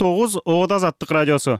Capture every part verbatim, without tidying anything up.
тогуз Ода Азаттык радиосу.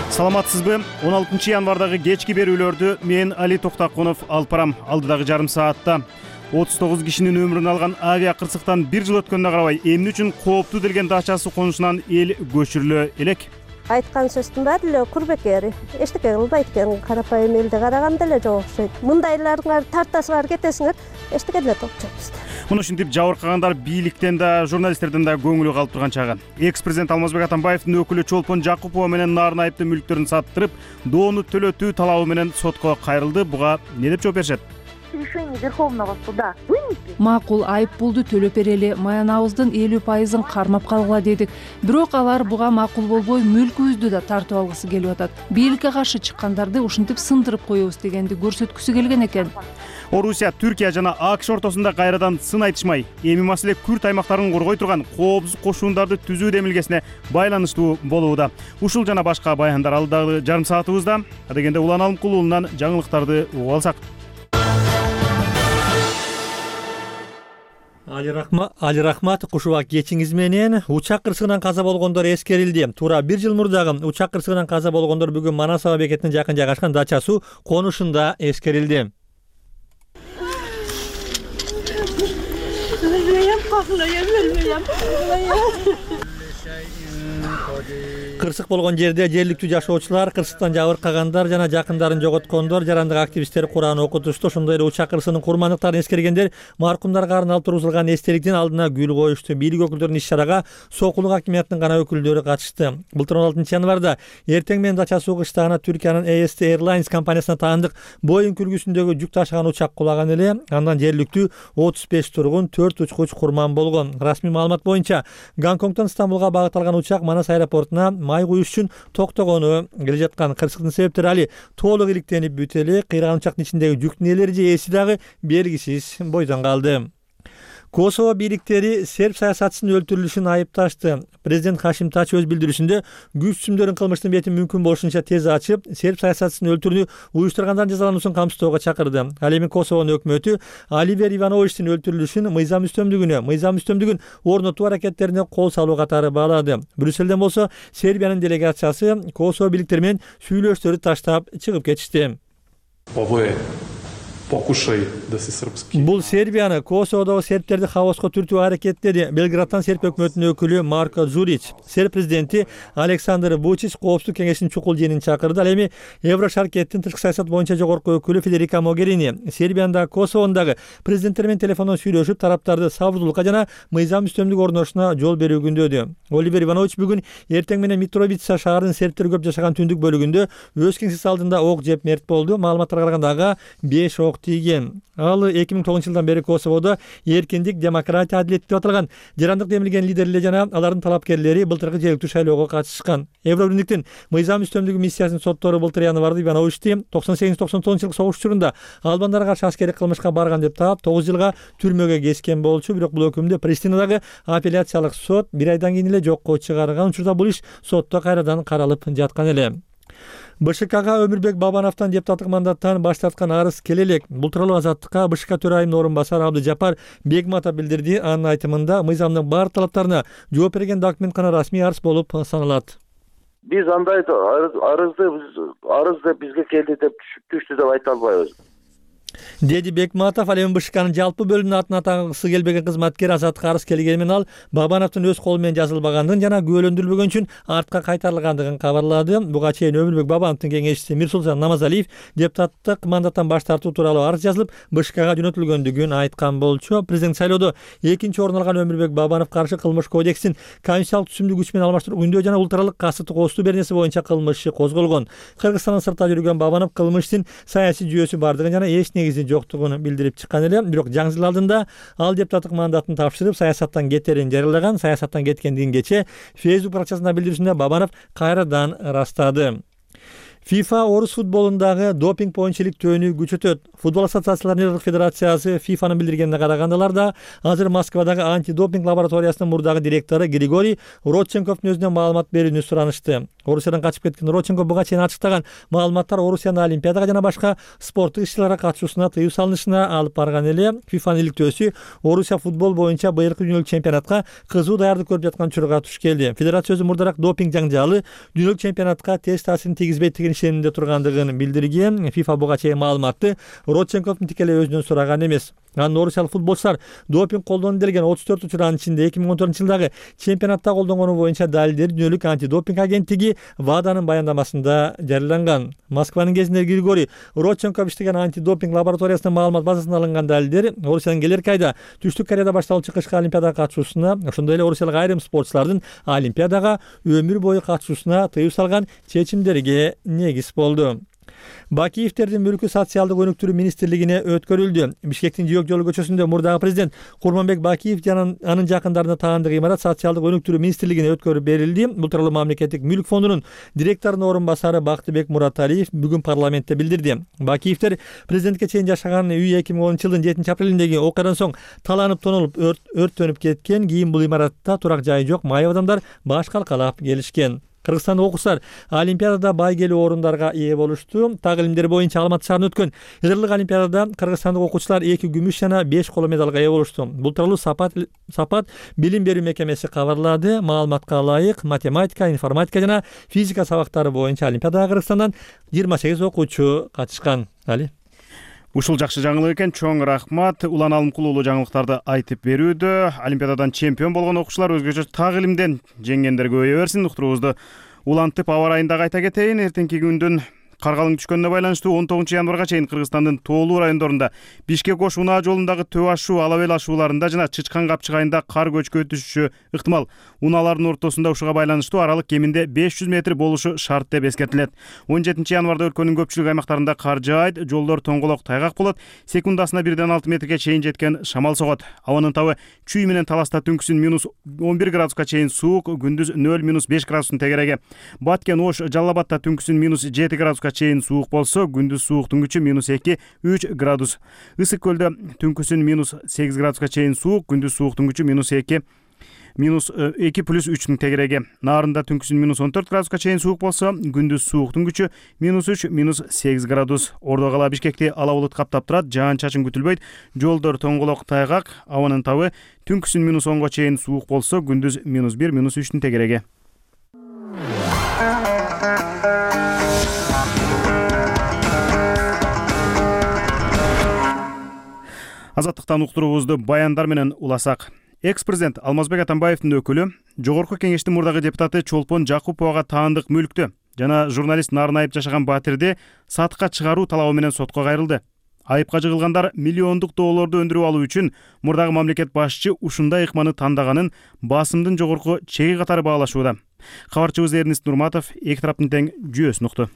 Саламатсызбы? он алтынчы январдагы кечки берүүлөрдү мен Али Токтакунов алып барам. Алдыдагы жарым саатта отуз тогуз кишинин өмүрүн алган авиа кырсыктан бир жыл өткөнүнө карабай эмне үчүн кооптуу делген дачасы конушунан эл көчүрүлө элек? Айткан сөздүн баары эле курбекери. Эчтеке кылбайт экен, карапайым элде караганда эле жок окшойт. Мындайларыңар тартасыңар, кетесиңер, эчтеке деле топчойбуз. Муну ушинтип жабыркагандар бийликтен да, журналисттерден да көңүлү калып турган чагы. Экс-президент Алмазбек Атамбаевдин өкүлү Чолпон Жакупова менен нарын айыптуу мүлктөрүн саттырып, доону төлөтүү талабы менен сотко кайрылды. Буга эмне деп жооп беришет? Решение Верховного суда вынесли. Макул айып пулду төлөп берели, маянабыздын элүү пайызын кармап калгыла дедик. Бирок алар буга макул болбой, мүлкүбүздү да тартып алгысы келип атат. Бийликке каршы чыккандарды ушинтип сындырып коебуз дегенди көрсөткүсү келген экен. Орусия, Түркия жана АКШ ортосунда кайрадан сын айтышмай, эми маселе Күрд аймактарын коргой турган коопсуз кошуундарды түзүү демилгесине байланыштуу болууда. Ушул жана башка баяндар алдыдагы жарым саатыбызда. Адегенде Улан Алымкул уулунан жаңылыктарды угуп алсак. Али Рахмат, Али Рахмат, кушубак кечиңиз менен. Учак кырсыгынан каза болгондор эскерилди. Туура бир жыл мурдагы учак кырсыгынан каза болгондор бүгүн Манас аба бекетине жакын жайгашкан дача суу конушунда эскерилди. Кырсык болгон жерде жергиликтүү жашоочулар, кырсыктан жабыркагандар жана жакындарын жоготкондор, жарандык активисттер Кур'ан окутушту. Ошондой эле учак кырсыгынын курмандыктарын эскергендер маркумдарга арналып тургузулган эстеликтин алдына гүл коюшту. Бийлик өкүлдөрүнүн иш-чарага Сокулук акимиятынын гана өкүлдөрү катышты. Былтыр он алтынчы январда эртең менен дача суу кыштагына Түркиянын A S T Airlines компаниясына таандык Boeing үлгүсүндөгү жүк ташыган учак кулаган эле. Андан жергиликтүү отуз беш тургун, төрт учкуч курман болгон. Расмий маалымат боюнча Гонконгдон Стамбулга багыт алган учак Манас аэропортуна май куюш үчүн токтогону келе жаткан. Кырсыктын себептери али толук иликтенип бүтө элек. Кыйраган учактын ичиндеги жүктүн ээлери же ээси дагы белгисиз бойдон калды. Косово бийликтери серб саясатчысынын өлтүрүлүшүн айыпташты. Президент Хашим Тач өз билдирүүсүндө күч түзүмдөрүн кылмыштын бетин мүмкүн болушунча тез ачып, серб саясатчысынын өлтүрүүнү уюштургандардын жазалануусун камсыздоого чакырды. Ал эми Косовонун өкмөтү Оливер Ивановичтин өлтүрүлүшүн мыйзам үстөмдүгүнө, мыйзам үстөмдүгүн орнотуу аракеттерине кол салуу катары баалады. Брюсселден болсо Сербиянын делегациясы Косово бийликтери менен сүйлөштөрдү таштап чыгып кетишти. Бул Сербияны, Косоводогу сербтерди хаоска түртүү аракеттеди. Белградтан серб өкмөтүнүн өкүлү Марко Зурич. Серб президенти Александр Вучич коопсуздук кеңешинин чукул жыйынын чакырды. Ал эми Еврошаркеттин тышкы саясат боюнча жогорку өкүлү Федерика Могерини Сербияда Косовондагы президенттер менен телефондон сүйлөшүп, тараптарды сабырдуулукка жана мыйзам үстөмдүк орнотушуна жол берүү күндөдү. Оливер Иванович бүгүн эртең менен Митровица шаарынын сербтер көп жашаган түндүк бөлүгүндө өз кеңсеси алдында ок жеп мерт болду. Маалыматтарга караганда ага беш ок тийген. Ал эки миң тогузунчу жылдан бери Косоводо эркиндик, демократия, адилет деп аталган жарандык демилген лидерлер жана алардын талапкерлери былтыркы жергиликтүү шайлоого катышкан. Евробирликтин мыйзам үстөмдүгү миссиясынын соттору былтыр январда Ивановичти токсон сегизинчи токсон тогузунчу жылкы согуш учурунда албандарга каршы аскердик кылмышка барган деп таап тогуз жылга түрмөгө кескен болчу. Бирок бул өкүмдү Приштинадагы апелляциялык сот бир айдан кийин эле жокко чыгарган. Учурда бул иш сотто кайрадан каралып жаткан эле. Б Ш Кга Өмүрбек Бабановдон депутаттык мандаттан баш тарткан арыз келе элек. Бул тууралуу Азаттыкка Б Ш К төрайымынын орун басары Абдыжапар Бегматов билдирди. Анын айтымында мыйзамдын бар талаптарына жооп берген документ гана расмий арыз болуп саналат. Биз андай арызды арыз деп бизге келди деп түштү деп айта албайбыз. Деди Бекматов. Ал эми Б Ш Кнын жалпы бөлүмүнө атын атагысы келбеген кызматкер Азаттыкка арыз келгени менен ал Бабановдун өз колу менен жазылбагандыгын жана күбөлөндүрүлбөгөн үчүн артка кайтарылгандыгын кабарлады. Буга чейин Өмүрбек Бабановдун кеңешчиси Мирсултан Намазалиев депутаттык мандаттан баш тартуу тууралуу арыз жазылып Б Ш Кга жөнөтүлгөндүгүн айткан болчу. Президент шайлоодо экинчи орун алган Өмүрбек Бабанов каршы кылмыш кодекстин конституциялык түзүмдү күч менен алмаштыруу күндөө жана улуттаралык касыттык оозтуу беренеси боюнча кылмыш иши козголгон. Кыргызстандын сыртта жүргөн Бабанов кылмыш иштин саясий жүйөсү бардыгын жана эч негизи жоктугун билдирип чыккан эле. Бирок жаңы жыл алдында ал депутаттык мандатын тапшырып, саясаттан кетерин жарыялаган. Саясаттан кеткендигин кечээ Facebook баракчасында билдирүүсүндө Бабанов кайрадан ырастады. FIFA орус футболундагы допинг боюнча иликтөөнү күчөтөт. Футбол ассоциацияларынын федерациясы фифанын билдиргенине карагандалар да азыр Москвадагы антидопинг лабораториясынын мурдагы директору Григорий Родченковдун өзүнөн маалымат берүүнү суранышты. Орусиядан качып кеткен Родченков буга чейин ачыктаган маалыматтар Орусиянын олимпиадага жана башка спорттук иш-чараларга катышуусуна тыюу салынышына алып барган эле. фифанын иликтөөсү Орусия футбол боюнча быйылкы дүйнөлүк чемпионатка кызуу даярдык көрүп жаткан учурга туш келди. Федерация өзү мурдараак допинг жаңжалы дүйнөлүк чемпионатка терс таасирин тийгизбейт деген ишенимде тургандыгын билдирген. FIFA буга чейин маалыматты Родченковдун тикелей өзүнөн сураган эмес. Анын орусиялык футболчулар допинг колдонду делген отуз төрт учурдун ичинде эки миң он төртүнчү жылдагы чемпионатта колдонгону боюнча далилдери дүйнөлүк антидопинг агенттиги ВАДАнын баяндамасында жарыяланган. Москванын кезинде Григорий Родченков иштеген антидопинг лабораториясынын маалымат базасынан алынган далилдер Орусиянын келерки айда Түштүк Кореяда башталуучу кышкы олимпиадага катышуусуна, ошондой эле орусиялык айрым спортчулардын олимпиадага өмүр бою катышуусуна тыюу салган чечимдерге негиз болду. Бакиевтердин мүлкү социалдык өнүктүрүү министрлигине өткөрүлдү. Бишкектин Жөөк жолу көчөсүндө мурдагы президент Курманбек Бакиев жана анын жакындарына таандык имарат социалдык өнүктүрүү министрлигине өткөрүп берилди. Бул тууралуу мамлекеттик мүлк фондунун директорунун орун басары Бактыбек Мураталиев бүгүн парламентте билдирди. Бакиевтер президентке чейин жашаган үй эки миң онунчу жылдын жетинчи апрелиндеги окуядан соң таланып тонолуп өрттөнүп кеткен. Кийин бул имаратта турак жайы жок майып адамдар баш калкалап келишкен. Кыргызстандык окуучулар олимпиадада байгелүү орундарга ээ болушту. Так илимдер боюнча Алматы шаарында өткөн жылдык олимпиадада кыргызстандык окуучулар эки күмүш жана беш коло медалга ээ болушту. Бул тууралуу Сапат Сапат билим берүү мекемеси кабарлады. Маалыматка ылайык, математика, информатика жана физика сабактары боюнча олимпиадага Кыргызстандан жыйырма сегиз окуучу катышкан. Али Ушул жакшы жаңылык экен. Чоң рахмат. Улан Алымкулуулу жаңылыктарды айтып берүүдө. Олимпиададан чемпион болгон окуучулар өзгөчө так илимден жеңгендер көбөйө берсин. Уктуруубузду улантып аба ырайын дагы айта кетейин. Эртеңки күндүн кар калың түшкөнүнө байланыштуу он тогузунчу январга чейин Кыргызстандын тоолуу райондорунда Бишкек-Ош унаа жолундагы төп ашуу, алап эл ашууларында жана Чычкан капчык айында кар көчкү өтүшүшү ыктымал. Унаалардын ортосунда ушуга байланыштуу аралык кеминде беш жүз метр болушу шарт деп эскертилет. он жетинчи январда өлкөнүн көпчүлүк аймактарында кар жаайт, жолдор тоңголок тайгак болот, секундасына бирден алты метрге чейин жеткен шамал согот. Абанын табы чүй менен таласта түнкүсүн минус он бир градуска чейин суук, күндүз нөл минус беш градустун тегереги. Баткен, Ош, Жалал Абадта түнкүсүн минус жети градуска чейин суук болсо, күндүз сууктун күчү минус эки үч градус. Ысык көлдө түнкүсүн минус сегиз градуска чейин суук, күндүз сууктун күчү минус эки минус эки плюс үчтүн тегереги. Нарында түнкүсүн минус он төрт градуска чейин суук болсо, күндүз сууктун күчү минус үч минус сегиз градус. Ордо кала Бишкекти ала булут каптап турат, жаан чачын күтүлбөйт, жолдор тоңголок тайгак, абанын табы түнкүсүн минус онго чейин суук болсо, күндүз минус бир минус үчтүн тегереги. Азаттыктан уктуруубузду баяндар менен уласак. Экс-президент Алмазбек Атамбаевдин өкүлү Жогорку Кеңештин мурдагы депутаты Чолпон Жакуповага таандык мүлктү жана журналист Нарын Айып жашаган Батирди сатыкка чыгаруу талабы менен сотко кайрылды. Айыпка жыгылгандар миллиондук долларды өндүрүп алуу үчүн мурдагы мамлекет башчы ушундай ыкманы тандаганын басымдын жогорку чеги катары баалашууда. Кабарчыбыз Эрнест Нурматов эки тараптын тең жүйөсүн укту.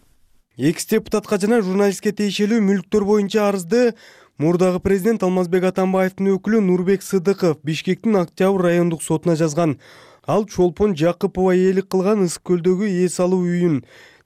Экс-депутатка жана журналистке тиешелүү мүлктөр боюнча арызды мурдагы президент Алмазбек Атамбаевдин өкүлү Нурбек Сыдыков Бишкектин Октябрь райондук сотуна жазган. Ал Чолпон Жакупова ээлик кылган Ысык көлдөгү ээ салуу үйүн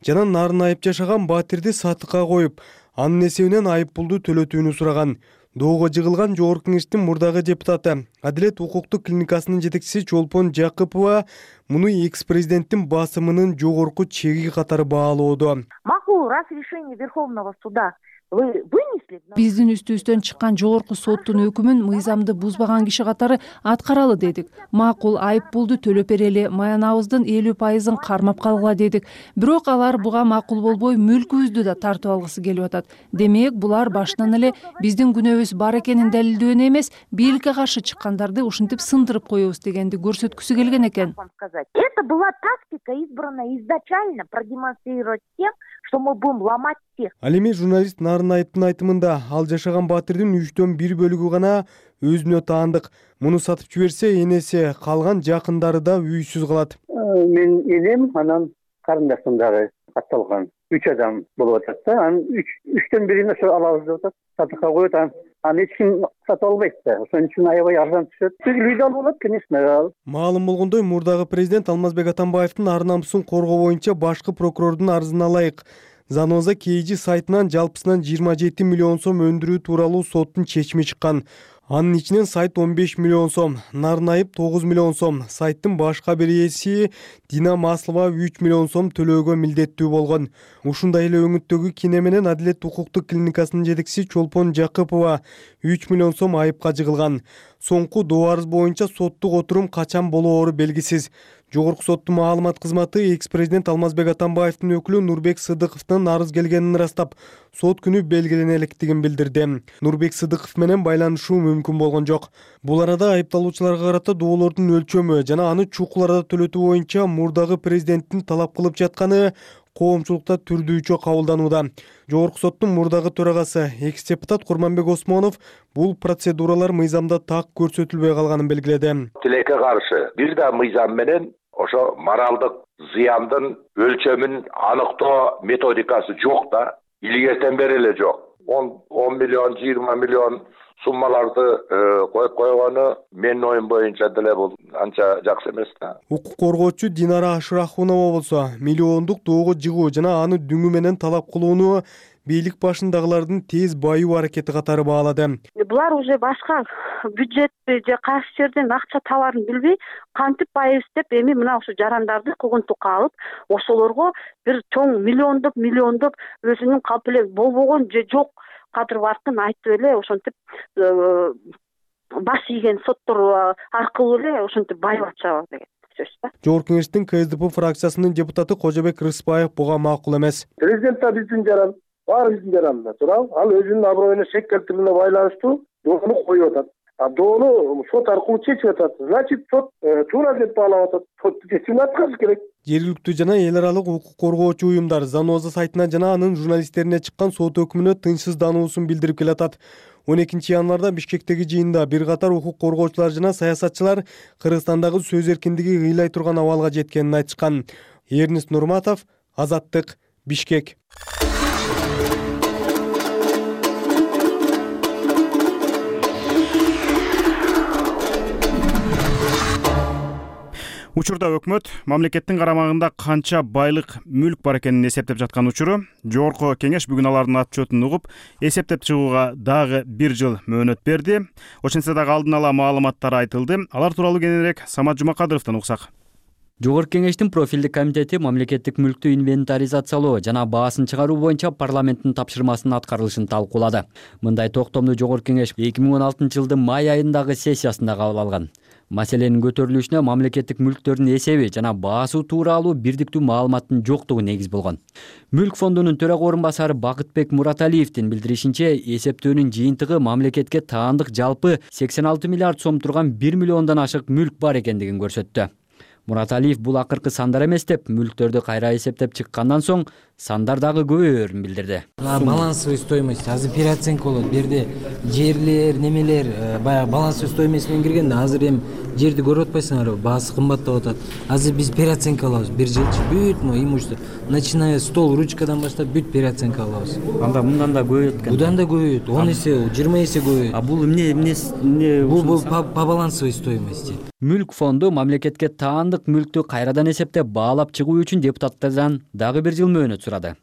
жана Нарын Айып жашаган Батирди сатыкка коюп, анын эсебинен айып пулду төлөтүүнү сураган. Доого жыгылган Жогорку Кеңештин мурдагы депутаты, Адилет укуктук клиникасынын жетекчиси Чолпон Жакупова муну экс-президенттин басымынын жогорку чеги катары баалоодо. Макул, раз решение Верховного суда вы вынесли. Биздин үстүбүздөн чыккан жогорку соттун өкүмүн мыйзамды бузбаган киши катары аткаралы дедик. Макул, айып пулду төлөп берели, маянабыздын элүү пайызын кармап калгыла дедик. Бирок алар буга макул болбой мүлкүбүздү да тартып алгысы келип атат. Демек, булар башынан эле биздин күнөөбүз бар экенин далилдөөнү эмес, бийликке каршы чыккандарды ушинтип сындырып коебуз дегенди көрсөткүсү келген экен. Это была тактика, избранная изначально продемонстрировать тем, что мы будем ломать всех. Ал эми журналист Нарын Айыптын айтымында ал жашаган Батирдин үчтөн бир бөлүгү гана өзүнө таандык. Муну сатып жиберсе, энеси калган жакындары да үйсүз калат. Мен энем анан карындашым дагы катталган. Үч адам болуп атат да. Анын үчтөн бирин ошо алабыз деп атат. Сатыкка коет, аны эч ким сатып албайт да. Ошон үчүн аябай арзан түшөт. Үйдө алып алат, конечно. Маалым болгондой, мурдагы президент Алмазбек Атамбаевдин ар намысын коргоо боюнча башкы прокурордун арызына ылайык Заноза Кейжи сайтынан жалпысынан жыйырма жети миллион сом өндүрүү тууралуу соттун чечими чыккан. Анын ичинен сайт он беш миллион сом, Нарнайып тогуз миллион сом, сайттын баш кабар ээси Дина Маслова үч миллион сом төлөөгө милдеттүү болгон. Ушундай эле өңүттөгү кине менен Адилет укуктук клиникасынын жетекчиси Чолпон Жакыпова үч миллион сом айыпка жыгылган. Соңку доо арыз боюнча соттук отурум качан болоору белгисиз. Жогорку соттун маалымат кызматы экс-президент Алмазбек Атамбаевдин өкүлү Нурбек Сыдыковдун арыз келгенин ырастап, сот күнү белгилене электигин билдирди. Нурбек Сыдыков менен байланышуу мүмкүн болгон жок. Бул арада айыпталуучуларга карата доолордун өлчөмү жана аны чукул арада төлөтүү боюнча мурдагы президенттин талап кылып жатканы коомчулукта түрдүүчө кабылданууда. Жогорку соттун мурдагы төрагасы экс-депутат Курманбек Осмонов бул процедуралар мыйзамда так көрсөтүлбөй калганын белгиледи. Тилекке каршы бир да мыйзам менен ошо моралдык зыяндын өлчөмүн аныктоо методикасы жок да, илгертен бери эле жок. он миллион, жыйырма миллион суммаларды коюп койгону менин оюм боюнча деле бул анча жакшы эмес да. Укук коргоочу Динара Ашрахунова болсо миллиондук доого жыгуу жана аны дүңү менен талап кылууну бийлик башындагылардын тез байуу аракети катары баалады. Булар уже башка бюджетти же кайсы жерден акча табарын билбей, кантип байыбыз деп эми мына ушу жарандарды кугунтукка алып, ошолорго бир чоң миллиондоп миллиондоп өзүнүн калп эле болбогон же жок кадыр баркын айтып эле ошентип баш ийген соттор аркылуу эле ошентип байып атышабы деген сөз да. Жогорку кеңештин К С D P фракциясынын депутаты Кожобек Рыспаев буга макул эмес. Президент да биздин жаран, баары биздин жаранында туурабы? Ал өзүнүн аброюна шек келтирүүнүне байланыштуу доону коюп атат. А доону сот аркылуу чечип атат. Значит, сот туура деп баалап атат. Соттун чечимин аткарыш керек. Жергиликтүү жана эл аралык укук коргоочу уюмдар Заноза сайтына жана анын журналисттерине чыккан сот өкүмүнө тынчсыздануусун билдирип келатат. он экинчи январда Бишкектеги жыйында бир катар укук коргоочулар жана саясатчылар Кыргызстандагы сөз эркиндиги ыйлай турган абалга жеткенин айтышкан. Эрнест Нурматов, Азаттык, Бишкек. Учурда өкмөт мамлекеттин карамагында канча байлык, мүлк бар экенин эсептеп жаткан учуру. Жогорку кеңеш бүгүн алардын отчетун угуп, эсептеп чыгууга дагы бир жыл мөөнөт берди. Ошентсе дагы алдын ала маалыматтар айтылды. Алар тууралуу кененирээк Самат Жумакадыровдон уксак. Жогорку кеңештин профилдик комитети мамлекеттик мүлктү инвентаризациялоо жана баасын чыгаруу боюнча парламенттин тапшырмасынын аткарылышын талкуулады. Мындай токтомду Жогорку кеңеш эки миң он алтынчы жылдын май айындагы сессиясында кабыл алган. Маселенин көтөрүлүшүнө мамлекеттик мүлктөрдүн эсеби жана баасы тууралуу бирдиктүү маалыматтын жоктугу негиз болгон. Мүлк фондунун төрага орун басары Бакытбек Мураталиевдин билдиришинче, эсептөөнүн жыйынтыгы мамлекетке таандык жалпы сексен алты миллиард сом турган бир миллиондон ашык мүлк бар экендигин көрсөттү. Мураталиев бул акыркы сандар эмес деп, мүлктөрдү кайра эсептеп чыккандан соң сандар дагы көбөйөрүн билдирди. Балансовый стоимость азыр переоценка болот. Бу жерде жерлер, немелер баягы балансовый стоимость менен киргенде азыр эми жерди көрүп атпайсыңарбы? Баасы кымбаттап атат. Азыр биз переоценка алабыз. Бир жылчы бүт мо имущество, начиная стол, ручкадан баштап бүт переоценка алабыз. Анда мындан да көбөйөт экен. Будан да көбөйөт. он эсе, жыйырма эсе көбөйөт. А бул эмне эмне бул по балансовой стоимости. Мүлк фонду мамлекетке таандык мүлктү кайрадан эсептеп баалап чыгуу үчүн депутаттардан дагы бир жыл мөөнөт сурады.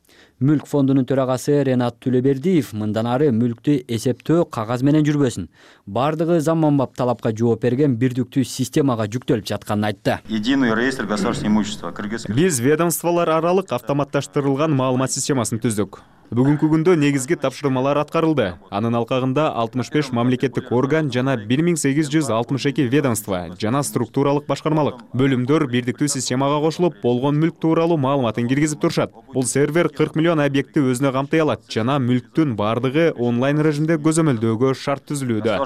Мүлк фондунун төрагасы Ренат Түлөбердиев мындан ары мүлктү эсептөө кагаз менен жүрбөсүн, бардыгы заманбап талапка жооп берген бирдиктүү системага жүктөлүп жатканын айтты. Единый реестр государственного имущества. Биз ведомстволор аралык автоматташтырылган маалымат системасын түздүк. Бүгүнкү күндө негизги тапшырмалар аткарылды. Анын алкагында алтымыш беш мамлекеттик орган жана бир миң сегиз жүз алтымыш эки ведомство жана структуралык башкармалык бөлүмдөр бирдиктүү системага кошулуп, болгон мүлк тууралуу маалыматын киргизип турушат. Бул сервер кырк миллион объектти өзүнө камтый алат жана мүлктүн бардыгы онлайн режимде көзөмөлдөөгө шарт түзүлүүдө.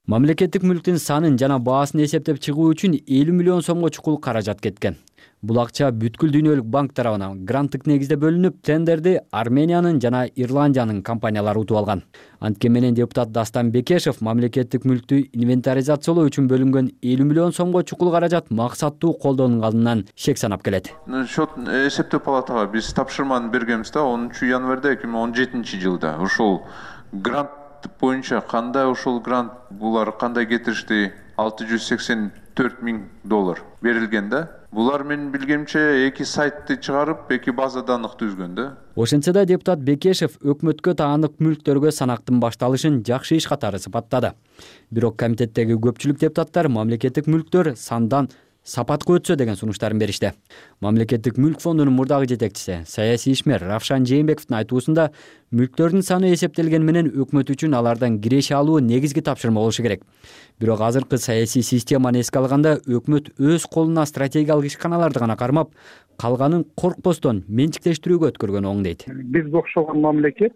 Мамлекеттик мүлктүн санын жана баасын эсептеп чыгуу үчүн элүү миллион сомго чукул каражат кеткен. Бул акча бүткүл дүйнөлүк банк тарабынан гранттык негизде бөлүнүп, тендерди Армениянын жана Ирландиянын компаниялары утуп алган. Анткени менен депутат Дастан Бекешев мамлекеттик мүлктү инвентаризациялоо үчүн бөлүнгөн элүү миллион сомго чукул каражат максаттуу колдонулганынан шек санап келет. Счет эсептөө палатага биз тапшырманы бергенбиз да онунчу январда эки миң он жетинчи жылда. Ушул грант боюнча кандай ушул грант булар кандай кетиришти? алты жүз сексен төрт миң доллар берилген да. Булар менин билгемче эки сайтты чыгарып, эки база данных түзгөн да. Ошентсе да депутат Бекешев өкмөткө таандык мүлктөргө санактын башталышын жакшы иш катары сыпаттады. Бирок комитеттеги көпчүлүк депутаттар мамлекеттик мүлктөр сандан сапатка өтсө деген сунуштарын беришти. Мамлекеттик мүлк фондунун мурдагы жетекчиси, саясий ишмер Равшан Жээнбековдун айтуусунда, мүлктөрдүн саны эсептелген менен өкмөт үчүн алардан киреше алуу негизги тапшырма болушу керек. Бирок азыркы саясий системаны эске алганда өкмөт өз колуна стратегиялык ишканаларды гана кармап, калганын коркпостон менчиктештирүүгө өткөргөн оң дейт. Бизге окшогон мамлекет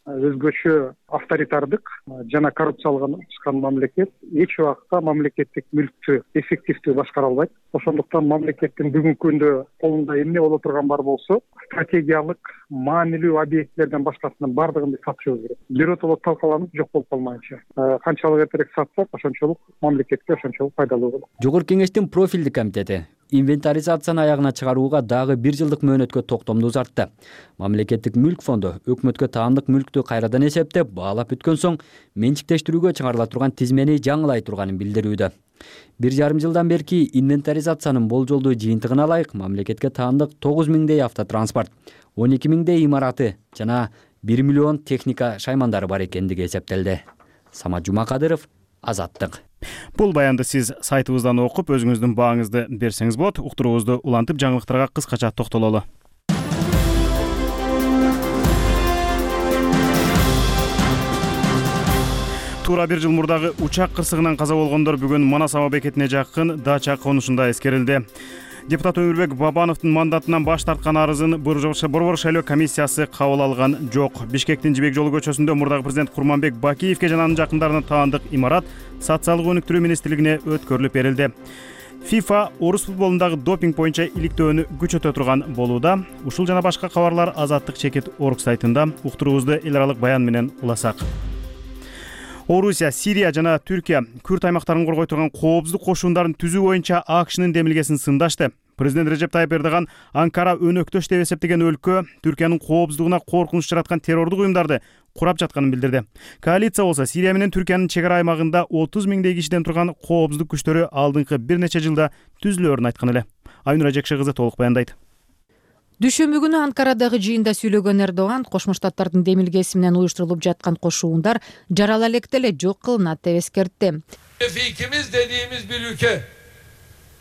өзгөчө авторитардык жана коррупцияланган мамлекет эч убакта мамлекеттик мүлктү эффективдүү башкара албайт. Ошондуктан мамлекеттин бүгүнкү күндө колунда эмне боло турган бар болсо, стратегиялык маанилүү объектилерден башкасынын бардыгын биз сатышыбыз керек. Биротоло талкаланып жок болуп калмайынча. Канчалык эртерээк сатсак, ошончолук мамлекетке ошончолук пайдалуу болот. Жогорку кеңештин профилдик комитети инвентаризацияны аягына чыгарууга дагы бир жылдык мөөнөткө токтомду узартты. Мамлекеттик мүлк фонду өкмөткө таандык мүлктү кайрадан эсептеп, баалап бүткөн соң менчиктештирүүгө чыгарыла турган тизмени жаңылай турганын билдирүүдө. Бир жарым жылдан берки инвентаризациянын болжолдуу жыйынтыгына ылайык мамлекетке таандык тогуз миңдей автотранспорт, он эки миңдей имараты жана бир миллион техника шаймандары бар экендиги эсептелди. Самат Жумакадыров, Азаттык. Бул баянды сиз сайтыбыздан окуп, өзүңүздүн бааңызды берсеңиз болот. Уктуруубузду улантып, жаңылыктарга кыскача токтололу. Туура бир жыл мурдагы учак кырсыгынан каза болгондор бүгүн Манас аба бекетине жакын Дача конушунда эскерилди. Депутат Өмүрбек Бабановдун мандатынан баш тарткан арызын Борбор шайлоо комиссиясы кабыл алган жок. Бишкектин Жибек жолу көчөсүндө мурдагы президент Курманбек Бакиевке жана анын жакындарына таандык имарат социалдык өнүктүрүү министрлигине өткөрүлүп берилди. FIFA орус футболундагы допинг боюнча иликтөөнү күчөтө турган болууда. Ушул жана башка кабарлар Азаттык чекит орг сайтында. Уктуруубузду эл аралык баян менен уласак. Орусия, Сирия жана Түркия Күрд аймактарын коргой турган коопсуздук кошуундарын түзүү боюнча АКШнын демилгесин сындашты. Президент Режеп Тайып Эрдоган Анкара өнөктөш деп эсептеген өлкө Түркиянын коопсуздугуна коркунуч жараткан террордук уюмдарды курап жатканын билдирди. Коалиция болсо Сирия менен Түркиянын чек ара аймагында отуз миңдей кишиден турган коопсуздук күчтөрү алдыңкы бир нече жылда түзүлөөрүн айткан эле. Айнура Жекше кызы толук баяндайт. Дүйшөмбү күнү Анкарадагы жыйында сүйлөгөн Эрдоган Кошмо Штаттардын демилгеси менен уюштурулуп жаткан кошуундар жарала электе эле жок кылынат деп эскертти. Fikimiz dediğimiz bir ülke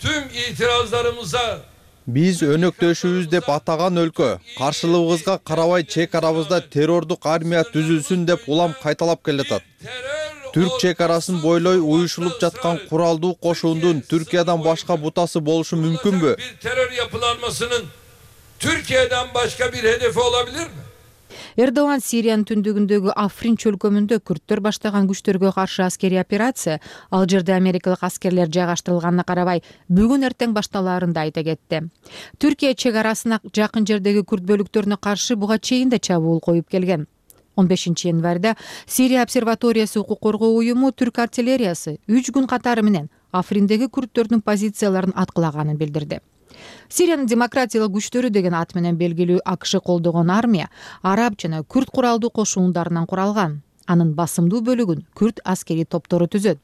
tüm itirazlarımıza Биз өнөктөшүбүз деп атаган өлкө каршылыгыбызга карабай чек арабызда террордук армия түзүлсүн деп улам кайталап келатат. Түрк чек арасын бойлой уюшулуп жаткан куралдуу кошуундун Түркиядан башка бутасы болушу мүмкүнбү? terör yapılanmasının Türkiye'den başka bir hedefi olabilir mi? Эрдоган Сириянын түндүгүндөгү Африн чөлкөмүндө күрттөр баштаган күчтөргө каршы аскерий операция, ал жерде америкалык аскерлер жайгаштырылганына карабай, бүгүн эртең башталаарын да айта кетти. Түркия чек арасына жакын жердеги күрд бөлүктөрүнө каршы буга чейин да чабуул коюп келген. он бешинчи январда Сирия обсерваториясы укук коргоо уюму түрк артиллериясы үч күн катары менен Африндеги күрттөрдүн позицияларын аткылаганын билдирди. Сириянын демократиялык күчтөрү деген ат менен белгилүү АКШ колдогон армия араб жана күрд куралдуу кошуундарынан куралган. Анын басымдуу бөлүгүн күрд аскерий топтору түзөт.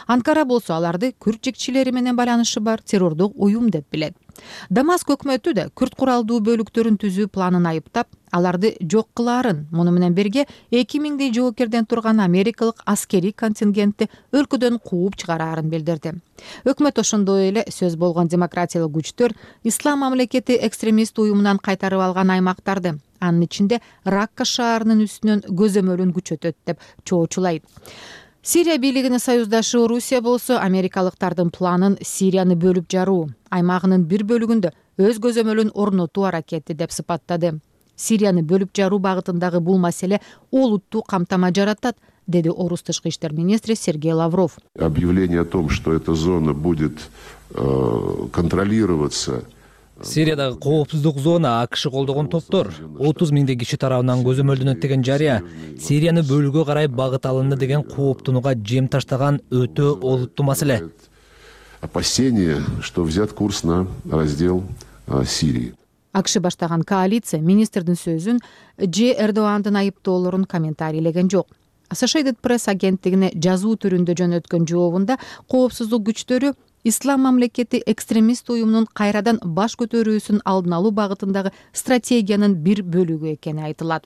Анкара болсо аларды күрд жекчилери менен байланышы бар террордук уюм деп билет. Дамаск өкмөтү да күрд куралдуу бөлүктөрүн түзүү планын айыптап, аларды жок кылаарын, муну менен бирге эки миңдей жоокерден турган америкалык аскерий контингентти өлкөдөн кууп чыгараарын билдирди. Өкмөт ошондой эле сөз болгон демократиялык күчтөр Ислам мамлекети экстремист уюмунан кайтарып алган аймактарды, анын ичинде Ракка шаарынын үстүнөн көзөмөлүн күчөтөт деп чоочулайт. Сирия бийлигинин союздашы Орусия болсо америкалыктардын планын Сирияны бөлүп жаруу, аймагынын бир бөлүгүндө өз көзөмөлүн орнотуу аракети деп сыпаттады. Сирияны бөлүп жаруу багытындагы бул маселе олуттуу камтама жаратат, деди орус тышкы иштер министри Сергей Лавров. Объявление о том, что эта зона будет э, контролироваться. Сириядагы коопсуздук зона АКШ колдогон топтор отуз миңдей киши тарабынан көзөмөлдөнөт деген жарыя Сирияны бөлүүгө карай багыт алынды деген кооптонууга жем таштаган өтө олуттуу маселе. Опасение, что взят курс на раздел Сирии. АКШ баштаган коалиция министрдин сөзүн Ж Эрдогандын айыптоолорун комментарийлеген жок. Associated Press агенттигине жазуу түрүндө жөнөткөн жообунда коопсуздук күчтөрү ислам мамлекети экстремист уюмунун кайрадан баш көтөрүүсүн алдын алуу багытындагы стратегиянын бир бөлүгү экени айтылат.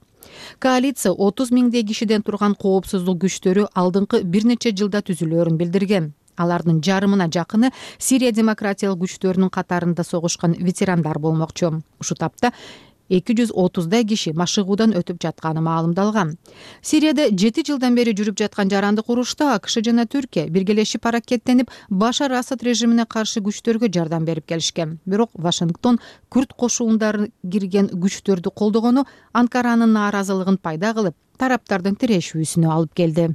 Коалиция отуз миңдей кишиден турган коопсуздук күчтөрү алдыңкы бир нече жылда түзүлөөрүн билдирген. Алардын жарымына жакыны Сирия демократиялык күчтөрүнүн катарында согушкан ветерандар болмокчу. Ушул тапта эки жүз отуздай киши машыгуудан өтүп жатканы маалымдалган. Сирияда жети жылдан бери жүрүп жаткан жарандык урушта АКШ жана Түркия биргелешип аракеттенип, Башар Асад режимине каршы күчтөргө жардам берип келишкен. Бирок Вашингтон күрд кошуундары кирген күчтөрдү колдогону Анкаранын нааразылыгын пайда кылып, тараптардын тирешүүсүнө алып келди.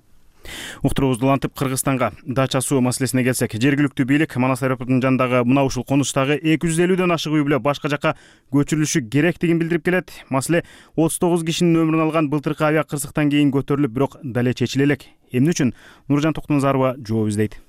Уктуруубузду улантып Кыргызстанга дача суу маселесине келсек, жергиликтүү бийлик Манас аэропортунун жанындагы мына ушул конуштагы эки жүз элүүдөн ашык үй бүлө башка жакка көчүрүлүшү керектигин билдирип келет. Маселе отуз тогуз кишинин өмүрүн алган былтыркы авиа кырсыктан кийин көтөрүлүп, бирок дале чечиле элек. Эмне үчүн? Нуржан Токтоназарова жооп издейт.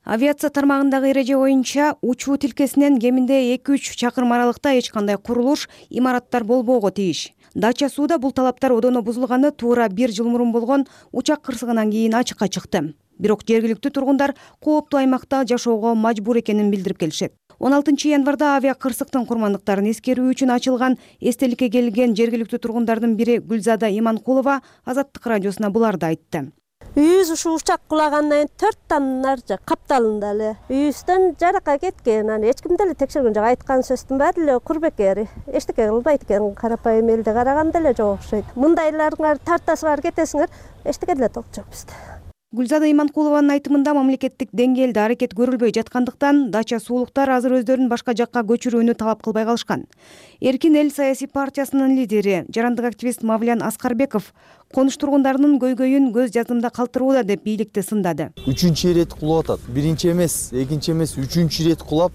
Авиация тармагындагы эреже боюнча учуу тилкесинен кеминде эки үч чакырым аралыкта эч кандай курулуш, имараттар болбоого тийиш. Дача сууда бул талаптар одоно бузулганы туура бир жыл мурун болгон учак кырсыгынан кийин ачыкка чыкты. Бирок жергиликтүү тургундар кооптуу аймакта жашоого мажбур экенин билдирип келишет. он алтынчы январда авиа кырсыктын курмандыктарын эскерүү үчүн ачылган эстеликке келген жергиликтүү тургундардын бири Гүлзада Иманкулова Азаттык радиосуна буларды айтты. Үйүбүз ушу учак кулагандан кийин төрттөн ар жак капталында эле үйүбүздөн жаракка кеткен. Аны эч ким деле текшерген жок. Айткан сөздүн баары эле курбекери. Эчтеке кылбайт экен. Карапайым элди караганда эле жок окшойт. Мындайларыңар тартасыңар, кетесиңер, эчтеке деле толук жок бизде. Гүлзада Иманкулованын айтымында мамлекеттик деңгээлде аракет көрүлбөй жаткандыктан дача суулуктар азыр өздөрүн башка жакка көчүрүүнү талап кылбай калышкан. Эркин эл саясий партиясынын лидери, жарандык активист Мавлян Аскарбеков конуш тургундарынын көйгөйүн көз жаздымда калтырууда деп бийликти сындады. Үчүнчү ирет кулап атат. Биринчи эмес, экинчи эмес, үчүнчү ирет кулап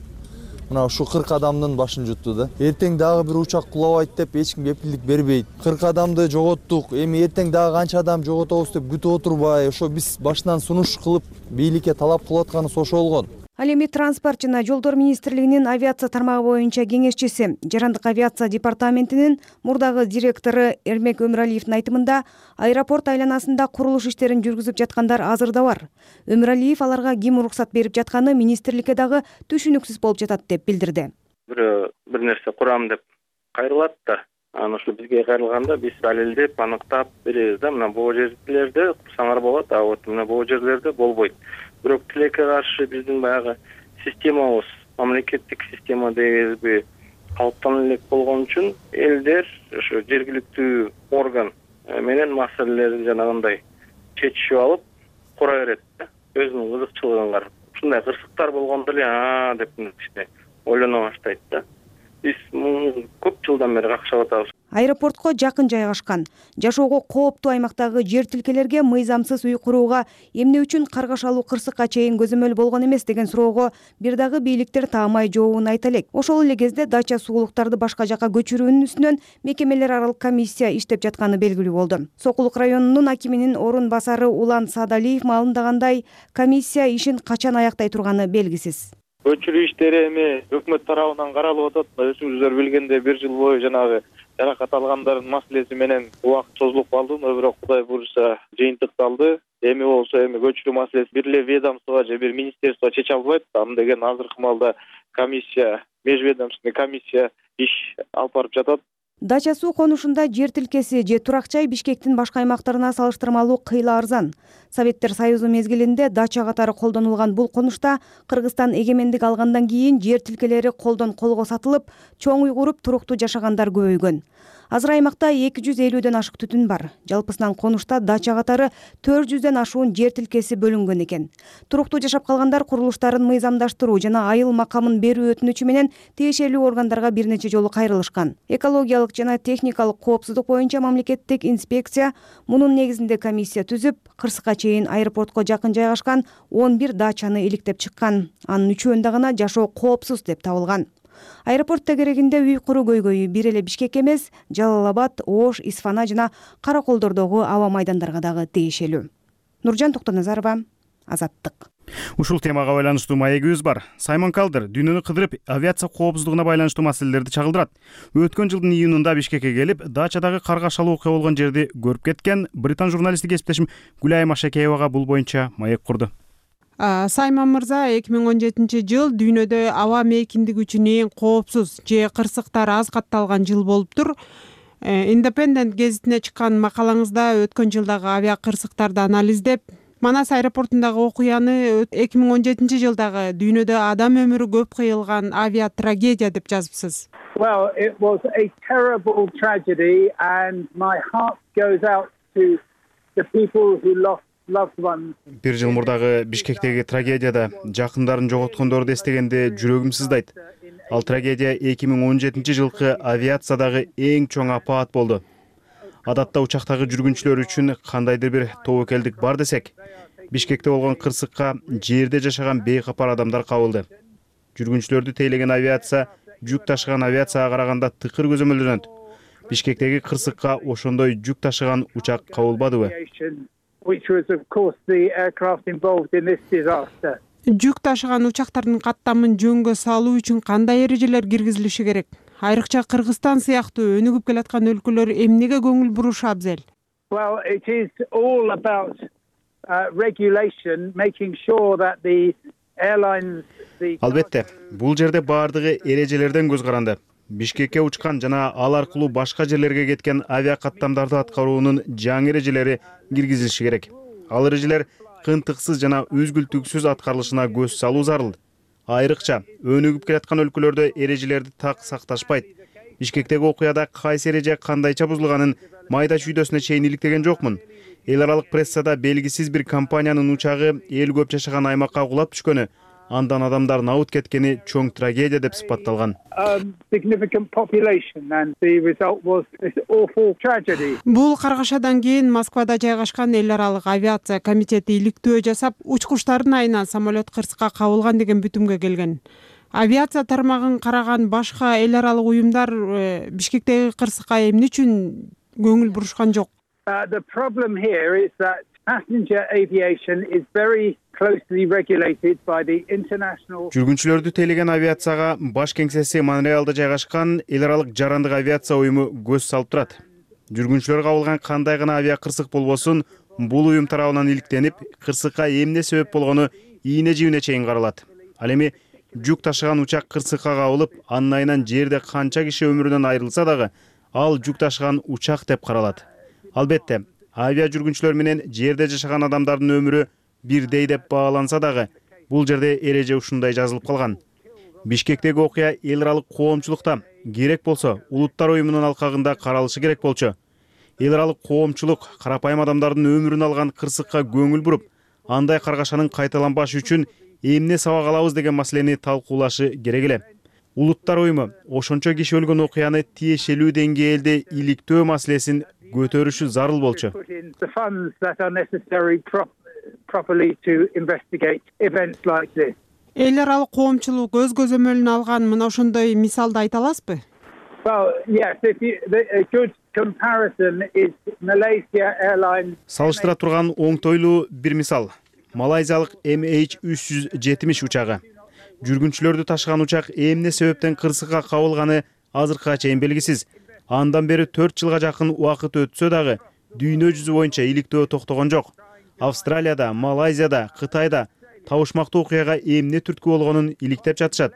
мына ушу кырк адамдын башын жутту да. Эртең дагы бир учак кулабайт деп эч ким кепилдик бербейт. кырк адамды жоготтук. Эми эртең дагы канча адам жоготобуз деп күтүп отурбай, ошо биз башынан сунуш кылып бийликке талап кылып атканыбыз ошо болгон. Ал эми транспорт жана жолдор министрлигинин авиация тармагы боюнча кеңешчиси, жарандык авиация департаментинин мурдагы директору Эрмек Өмүралиевдин айтымында, аэропорт айланасында курулуш иштерин жүргүзүп жаткандар азыр да бар. Өмүралиев аларга ким уруксат берип жатканы министрликке дагы түшүнүксүз болуп жатат деп билдирди. Бирөө бир нерсе курам деп кайрылат да, анан ошо бизге кайрылганда биз далилдеп, аныктап беребиз да, мына бул жерлерде курсаңар болот, а вот мына бул жерлерде болбойт. Бирок тилекке каршы биздин баягы системабыз, мамлекеттик система дегенби калыптана элек болгон үчүн элдер ошо жергиликтүү орган менен маселелерди жанагындай чечишип алып кура берет да, өзүнүн кызыкчылыгын карап. Ушундай кырсыктар болгондо эле а деп кичине ойлоно баштайт да. Биз көп жылдан бери какшап атабыз. Аэропортко жакын жайгашкан, жашоого кооптуу аймактагы жер тилкелерге мыйзамсыз үй курууга эмне үчүн каргашалуу кырсыкка чейин көзөмөл болгон эмес деген суроого бир дагы бийликтер таамай жообун айта элек. Ошол эле кезде дача суулуктарды башка жакка көчүрүүнүн үстүнөн мекемелер аралык комиссия иштеп жатканы белгилүү болду. Сокулук районунун акиминин орун басары Улан Саадалиев маалымдагандай, комиссия ишин качан аяктай турганы белгисиз. Көчүрүү иштери эми өкмөт тарабынан каралып атат. Өзүңүздөр билгендей бир жыл бою жанагы жаракат алгандардын маселеси менен убакыт созулуп калды, бирок Кудай буйруса жыйынтыкталды. Эми болсо эми көчүрүү маселеси бир эле ведомство же бир министерство чече албайт. Аны деген азыркы маалда комиссия, межведомственный комиссия иш алып барып жатат. Дача суу конушунда жер тилкеси же турак жай Бишкектин башка аймактарына салыштырмалуу кыйла арзан. Советтер Союзу мезгилинде дача катары колдонулган бул конушта Кыргызстан эгемендик алгандан кийин жер тилкелери колдон колго сатылып, чоң үй куруп туруктуу жашагандар көбөйгөн. Азыр аймакта эки жүз элүүдөн ашык түтүн бар. Жалпысынан конушта дача катары төрт жүздөн ашуун жер тилкеси бөлүнгөн экен. Туруктуу жашап калгандар курулуштарын мыйзамдаштыруу жана айыл макамын берүү өтүнүчү менен тиешелүү органдарга бир нече жолу кайрылышкан. Экологиялык жана техникалык коопсуздук боюнча мамлекеттик инспекция мунун негизинде комиссия түзүп, кырсыкка чейин аэропортко жакын жайгашкан он бир дачаны иликтеп чыккан. Анын үчөөндө гана жашоо коопсуз деп табылган. Аэропортто керегинде үй куруу көйгөйү бир эле Бишкек эмес, Жалал Абад, Ош, Исфана жана Караколдордогу аба майдандарга дагы тиешелүү. Нуржан Токтоназарова, Азаттык. Ушул темага байланыштуу маегибиз бар. Саймон Калдер дүйнөнү кыдырып, авиация коопсуздугуна байланыштуу маселелерди чагылдырат. Өткөн жылдын июнунда Бишкекке келип, дачадагы каргашалуу окуя болгон жерди көрүп кеткен британ журналисти кесиптешим Гүлайым Ашекеевага бул боюнча маек курду. Сайман мырза, эки миң он жетинчи жыл дүйнөдө аба мейкиндиги үчүн эң коопсуз же кырсыктар аз катталган жыл болуптур. Independent гезитине чыккан макалаңызда өткөн жылдагы авиа кырсыктарды анализдеп, Манас аэропортундагы окуяны эки миң он жетинчи жылдагы дүйнөдө адам өмүрү көп кыйылган авиа трагедия деп жазыпсыз. Well, it was a terrible tragedy and my heart goes out to the people who lost loved ones. Бир жыл мурдагы Бишкектеги трагедияда жакындарын жоготкондорду эстегенде жүрөгүм сыздайт. Ал трагедия эки миң он жетинчи жылкы авиациядагы эң чоң апаат болду. Адатта учактагы жүргүнчүлөр үчүн кандайдыр бир тобокелдик бар десек, Бишкекте болгон кырсыкка жерде жашаган бейкапар адамдар кабылды. Жүргүнчүлөрдү тейлеген авиация жүк ташыган авиацияга караганда тыкыр көзөмөлдөнөт. Бишкектеги кырсыкка ошондой жүк ташыган учак кабылбадыбы? Жүк ташыган учактардын каттамын жөнгө салуу үчүн кандай эрежелер киргизилиши керек? Айрыкча Кыргызстан сыяктуу өнүгүп келаткан өлкөлөр эмнеге көңүл бурушу абзел? Well, it is all about uh, regulation, making sure that the airlines. Албетте, бул жерде баардыгы эрежелерден көз каранды. Бишкекке учкан жана ал аркылуу башка жерлерге кеткен авиа каттамдарды аткаруунун жаңы эрежелери киргизилиши керек. Ал эрежелер кыйынтыксыз жана үзгүлтүксүз аткарылышына көз салуу зарыл. Айрыкча өнүгүп келаткан өлкөлөрдө эрежелерди так сакташпайт. Бишкектеги окуяда кайсы эреже кандайча бузулганын майда чүйдөсүнө чейин иликтеген жокмун. Эл аралык прессада белгисиз бир компаниянын учагы эл көп жашаган аймакка кулап түшкөнү, андан адамдар набыт кеткени чоң трагедия деп сыпатталган. Бул каргашадан кийин Москвада жайгашкан эл аралык авиация комитети иликтөө жасап, учкучтардын айынан самолет кырсыкка кабылган деген бүтүмгө келген. Авиация тармагын караган башка эл аралык уюмдар Бишкектеги кырсыкка эмне үчүн көңүл бурушкан жок? The problem here is that passenger aviation is very closely regulated by the international. Жүргүнчүлөрдү тейлеген авиацияга баш кеңсеси Монреалда жайгашкан эл аралык жарандык авиация уюму көз салып турат. Жүргүнчүлөр кабылган кандай гана авиа кырсык болбосун, бул уюм тарабынан иликтенип, кырсыкка эмне себеп болгону ийне жибине чейин каралат. Ал эми жүк ташыган учак кырсыкка кабылып, анын айынан жерде канча киши өмүрүнөн айрылса дагы, ал жүк ташыган учак деп каралат. Албетте, авиа жүргүнчүлөр менен жерде жашаган адамдардын өмүрү бирдей деп бааланса дагы, бул жерде эреже ушундай жазылып калган. Бишкектеги окуя эл аралык коомчулукта керек болсо улуттар уюмунун алкагында каралышы керек болчу. Эл аралык коомчулук карапайым адамдардын өмүрүн алган кырсыкка көңүл буруп, андай каргашанын кайталанбашы үчүн эмне сабак алабыз деген маселени талкуулашы керек эле. Улуттар уюму ошончо киши өлгөн окуяны тиешелүү деңгээлде иликтөө маселесин көтөрүшү зарыл болчу. Эл аралык коомчулук өз көзөмөлүнө алган мына ошондой мисалды айта аласызбы? Салыштыра турган оңтойлуу бир мисал. Малайзиялык эм эйч үч жүз жетимиш учагы. Жүргүнчүлөрдү ташыган учак эмне себептен кырсыкка кабылганы азыркыга чейин белгисиз. Андан бери төрт жылга жакын убакыт өтсө дагы дүйнө жүзү боюнча иликтөө токтогон жок. Австралияда, Малайзияда, Кытайда табышмактуу окуяга эмне түрткү болгонун иликтеп жатышат.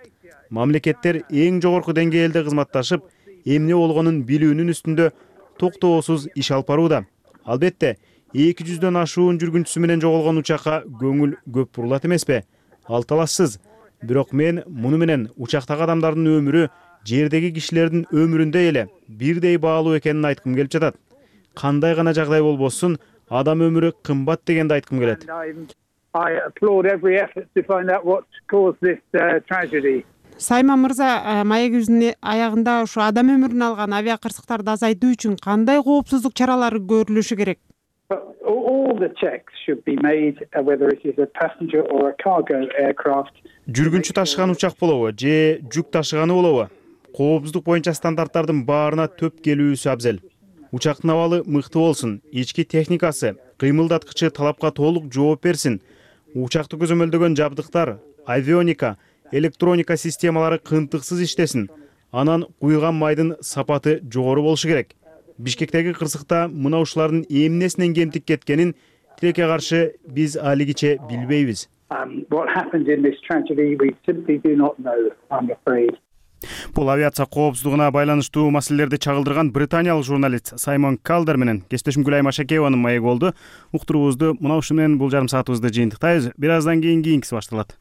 Мамлекеттер эң жогорку деңгээлде кызматташып, эмне болгонун билүүнүн үстүндө токтоосуз иш алып барууда. Албетте, эки жүздөн ашуун жүргүнчүсү менен жоголгон учакка көңүл көп бурулат эмеспи? Ал талашсыз. Бирок мен муну менен учактагы адамдардын өмүрү жердеги кишилердин өмүрүндөй эле бирдей баалуу экенин айткым келип жатат. Кандай гана жагдай болбосун, адам өмүрү кымбат дегенди айткым келет. Сайман мырза, маегибиздин аягында ушу адам өмүрүн алган авиа кырсыктарды азайтуу үчүн кандай коопсуздук чаралары көрүлүшү керек? Жүргүнчү ташыган учак болобу же жүк ташыганы болобу? Коопсуздук боюнча стандарттардын баарына төп келүүсү абзел. Учактын абалы мыкты болсун, ички техникасы, кыймылдаткычы талапка толук жооп берсин. Учакты көзөмөлдөгөн жабдыктар, авионика, электроника системалары кыйынтыксыз иштесин. Анан куйган майдын сапаты жогору болушу керек. Бишкектеги кырсыкта мына ушулардын эмнесинен кемтик кеткенин тилекке каршы биз алигиче билбейбиз. Um, what happened in this tragedy, we simply do not know, I'm afraid. Бул авиация коопсуздугуна байланыштуу маселелерди чагылдырган британиялык журналист Саймон Калдер менен кесиптешим Гүлайым Ашакееванын маегі болду. Уктуруубузду мына ушу менен бул жарым саатыбызды жыйынтыктайбыз. Бир аздан кийин кийинкиси башталат.